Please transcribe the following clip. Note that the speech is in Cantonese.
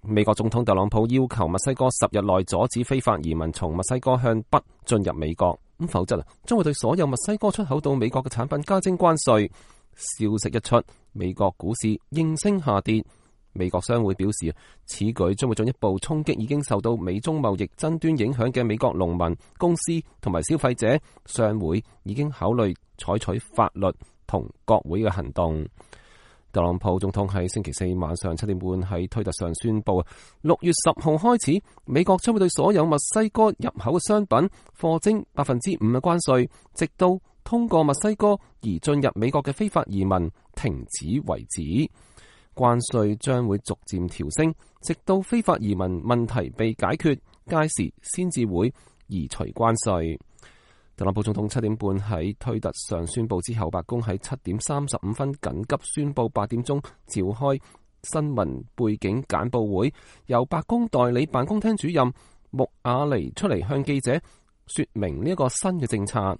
美國總統特朗普要求墨西哥10日內阻止非法移民從墨西哥向北進入美國，否則將會對所有墨西哥出口到美國嘅產品加徵關稅。消息一出，美國股市應聲下跌。美國商會表示，此舉將會進一步衝擊已經受到美中貿易爭端影響嘅美國農民、公司同埋消費者。商會已經考慮採取法律同國會嘅行動。特朗普總統喺星期四晚上7點半喺推特上宣布，6月10號開始，美國將會對所有墨西哥入口嘅商品課徵5%嘅關稅，直到通過墨西哥而進入美國嘅非法移民停止為止。關稅將會逐漸調升，直到非法移民問題被解決，屆時先至會移除關稅。特朗普總統7點半喺推特上宣布之後，白宮喺7點35分緊急宣布8點鐘召開新聞背景簡報會，由白宮代理辦公廳主任穆亞尼出嚟向記者說明呢一個新嘅政策。